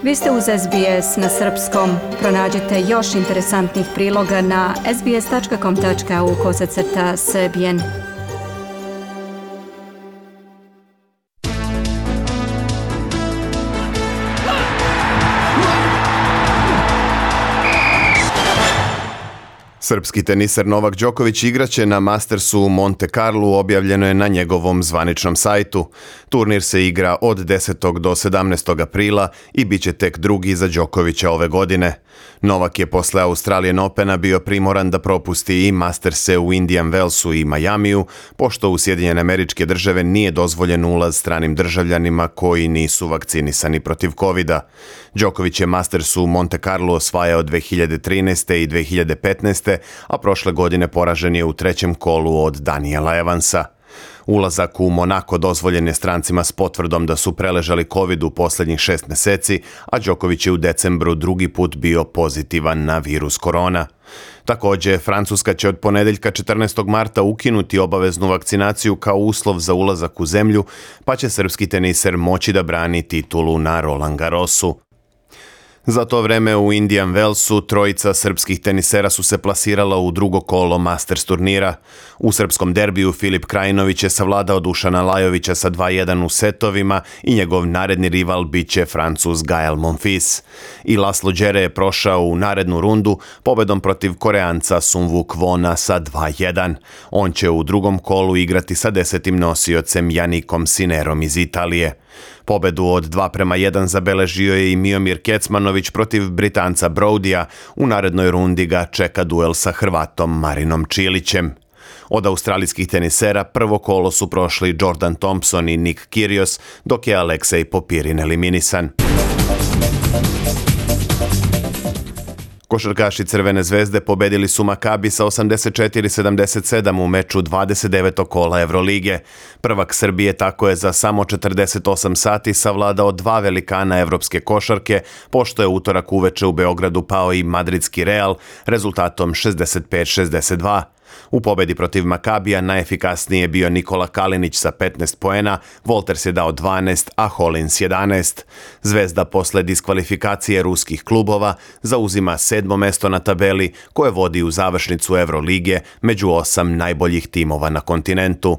Vi ste uz SBS na srpskom. Pronađite još interesantnih priloga na sbs.com.au/srbijen. Srpski teniser Novak Đoković igraće na Mastersu u Monte Carlu, objavljeno je na njegovom zvaničnom sajtu. Turnir se igra od 10. do 17. aprila i bit će tek drugi za Đokovića ove godine. Novak je posle Australian Opena bio primoran da propusti i Masterse u Indian Wellsu i Majamiju, pošto u Sjedinjene Američke Države nije dozvoljen ulaz stranim državljanima koji nisu vakcinisani protiv covida. Đoković je Mastersu u Monte Carlo osvajao 2013. i 2015. a prošle godine poražen je u trećem kolu od Daniela Evansa. Ulazak u Monako dozvoljen je strancima s potvrdom da su preležali COVID u posljednjih 6 mjeseci, a Đoković je u decembru drugi put bio pozitivan na virus korona. Također, Francuska će od ponedeljka 14. marta ukinuti obaveznu vakcinaciju kao uslov za ulazak u zemlju, pa će srpski teniser moći da brani titulu na Roland Garrosu. Za to vreme u Indian Wellsu trojica srpskih tenisera su se plasirala u drugo kolo Masters turnira. U srpskom derbiju Filip Krajinović je savladao Dušana Lajovića sa 2:1 u setovima i njegov naredni rival biće Francuz Gael Monfils. I Laslo Đere je prošao u narednu rundu pobedom protiv Koreanca Sungwoo Kwona sa 2:1. On će u drugom kolu igrati sa 10. nosiocem Janikom Sinerom iz Italije. Pobedu od 2:1 zabeležio je i Miomir Kecmanović protiv Britanca Brodija. U narednoj rundi ga čeka duel sa Hrvatom Marinom Čilićem. Od australijskih tenisera prvo kolo su prošli Jordan Thompson i Nick Kyrgios, dok je Aleksej Popirin eliminisan. Košarkaši Crvene zvezde pobedili su Makabi sa 84-77 u meču 29. kola Evrolige. Prvak Srbije tako je za samo 48 sati savladao dva velikana evropske košarke, pošto je utorak uveče u Beogradu pao i madridski Real rezultatom 65-62. U pobedi protiv Makabija najefikasniji je bio Nikola Kalinić sa 15 poena, Wolters je dao 12, a Hollins 11. Zvezda posle diskvalifikacije ruskih klubova zauzima 7. mesto na tabeli koje vodi u završnicu Evrolige među 8 najboljih timova na kontinentu.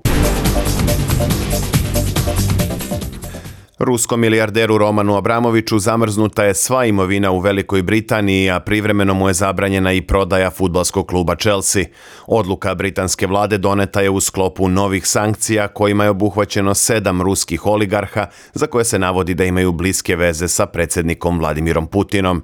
Ruskom milijarderu Romanu Abramoviću zamrznuta je sva imovina u Velikoj Britaniji, a privremeno mu je zabranjena i prodaja fudbalskog kluba Chelsea. Odluka britanske vlade doneta je u sklopu novih sankcija kojima je obuhvaćeno 7 ruskih oligarha za koje se navodi da imaju bliske veze sa predsjednikom Vladimirom Putinom.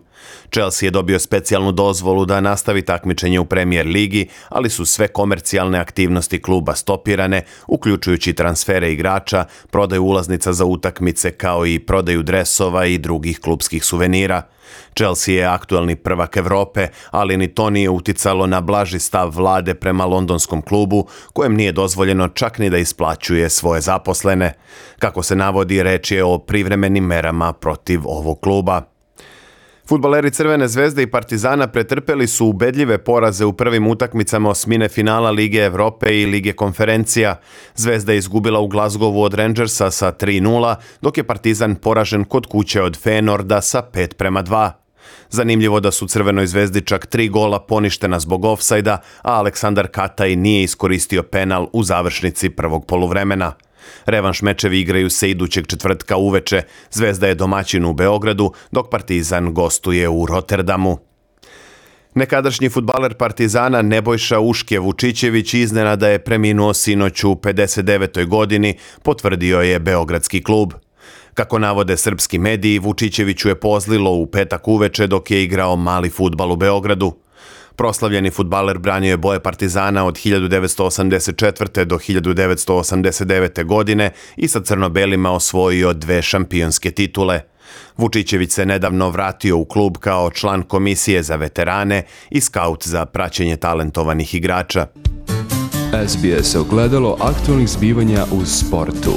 Chelsea je dobio specijalnu dozvolu da nastavi takmičenje u Premier ligi, ali su sve komercijalne aktivnosti kluba stopirane, uključujući transfere igrača, prodaju ulaznica za utakmice kao i prodaju dresova i drugih klubskih suvenira. Chelsea je aktuelni prvak Evrope, ali ni to nije uticalo na blaži stav vlade prema londonskom klubu, kojem nije dozvoljeno čak ni da isplaćuje svoje zaposlene. Kako se navodi, reč je o privremenim merama protiv ovog kluba. Fudbaleri Crvene zvezde i Partizana pretrpeli su ubedljive poraze u prvim utakmicama osmine finala Lige Evrope i Lige konferencija. Zvezda je izgubila u Glasgowu od Rangersa sa 3:0, dok je Partizan poražen kod kuće od Feyenoorda sa 5:2. Zanimljivo da su Crvenoj zvezdi čak 3 gola poništena zbog ofsajda, a Aleksandar Kataj nije iskoristio penal u završnici prvog poluvremena. Revanš mečevi igraju se idućeg četvrtka uveče. Zvezda je domaćin u Beogradu, dok Partizan gostuje u Rotterdamu. Nekadašnji fudbaler Partizana Nebojša Uške Vučićević iznenada je preminuo sinoć u 59. godini, potvrdio je beogradski klub. Kako navode srpski mediji, Vučićeviću je pozlilo u petak uveče dok je igrao mali fudbal u Beogradu. Proslavljeni fudbaler branio je boje Partizana od 1984. do 1989. godine i sa crno-belima osvojio 2 šampionske titule. Vučićević se nedavno vratio u klub kao član komisije za veterane i skaut za praćenje talentovanih igrača. SBS ogledalo aktualnih zbivanja u sportu.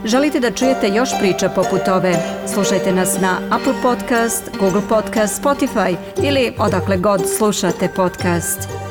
Želite da čujete još priča poput ove? Slušajte nas na Apple Podcast, Google Podcast, Spotify ili odakle god slušate podcast.